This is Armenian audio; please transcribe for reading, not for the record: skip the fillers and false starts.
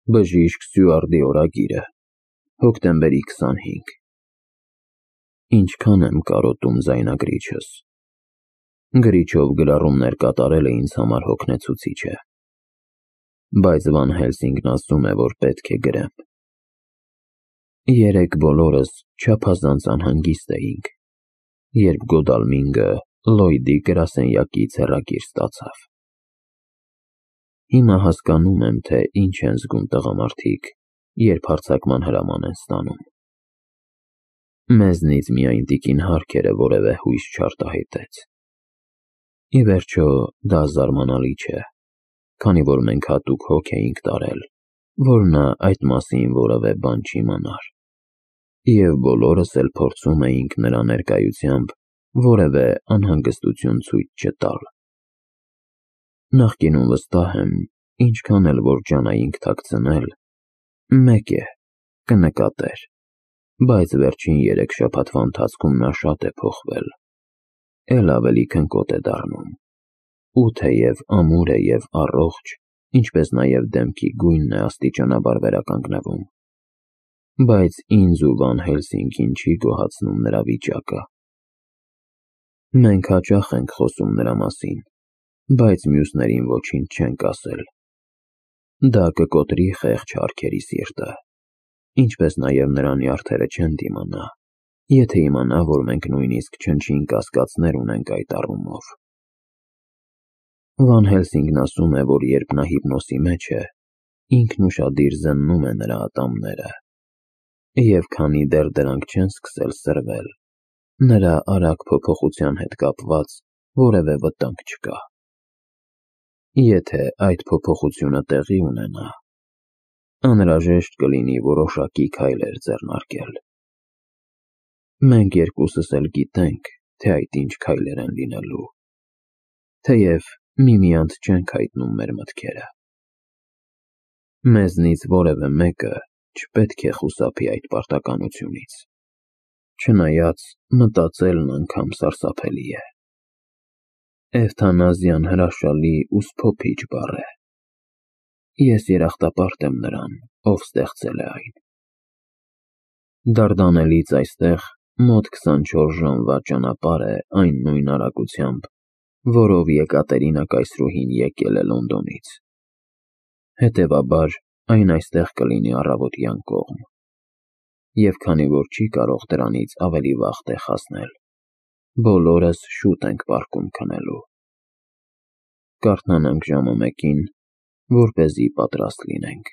Բժիշկ Ստյուարտի օրագիրը, հոկտեմբերի 25։ Ինչքան եմ կարոտում ձայնագրիչս։ Գրիչով գրառումներ կատարելը ինձ համար հոգնեցուցիչ է։ Բայց Վան Հելսինգն ասում է, որ պետք է գրեմ։ Երեկ բոլորս չափազանց անհանգիստ էինք, երբ Գոդալմինգը Լլոյդի գրասենյակից հեռագիր ստացավ։ Հիմա հասկանում եմ, թե ինչ են զգում տղամարդիկ, երբ հարձակման հրաման են ստանում։ Մեզնից միայն տիկին Հարքերը որևէ հույս չարտահայտեց։ Ի վերջո, դա զարմանալի չէ, քանի որ մենք հատուկ հոգ էինք տարել, որ նա այդ մասին որևէ բան չիմանար, և բոլորս էլ փորձում էինք նրա ներկայությամբ որևէ անհանգստություն ցույց չտալ։ Նախկինում վստահ եմ, ինչքան էլ որ ջանայինք թաքցնել, մեկ է, կնկատեր, բայց վերջին 3 շաբաթվա ընթացքում նա շատ է փոխվել, էլ ավելի քնկոտ է դառնում, ու թեև ամուր է և առողջ, ինչպես նաև դեմքի գույնն է աստիճանաբար վերականգնվում, բայց ինձ ու Վան Հելսինգին չի գոհացնում նրա վիճակը։ Մենք հաճախ ենք խոսում նրա մասին, բայց մյուսներին ոչինչ չենք ասել։ Դա կկոտրի խեղճ Հարքերի սիրտը, ինչպես նաև նրա նյարդերը չեն դիմանա, եթե իմանա, որ մենք նույնիսկ չնչին կասկածներ ունենք այդ առումով։ Վան Հելսինգն ասում է, որ երբ նա հիպնոսի մեջ է, ինքն ուշադիր զննում է նրա ատամները, և քանի դեռ դրանք չեն սկսել սրվել, նրա արագ փոփոխության հետ կապված որևէ վտանգ չկա։ Եթե այդ փոփոխությունը տեղի ունենա, անհրաժեշտ կլինի որոշակի քայլեր ձեռնարկել։ Մենք երկուսս էլ գիտենք, թե այդ ինչ քայլեր են լինելու, թեև միմյանց չենք հայտնում մեր մտքերը։ Մեզնից որևէ մեկը չպետք է խուսափի այդ պարտականությունից, չնայած մտածելն անգամ սարսափելի է։ Էվթանազիան հրաշալի ու սփոփիչ բառ է։ Ես երախտապարտ եմ նրան, ով ստեղծել է այն։ Դարդանելից այստեղ մոտ 24 ժամվա ճանապարհ է այն նույն արագությամբ, որով Եկատերինա կայսրուհին եկել է Լոնդոնից։ Հետևաբար, այն այստեղ կլինի առավոտյան կողմ, և քանի որ չի կարող դրանից ավելի վաղ տեղ հասնել, բոլորս շուտ ենք պառկում քնելու։ Կարթնանանք ժամը 1-ին, որպեսզի պատրաստ լինենք։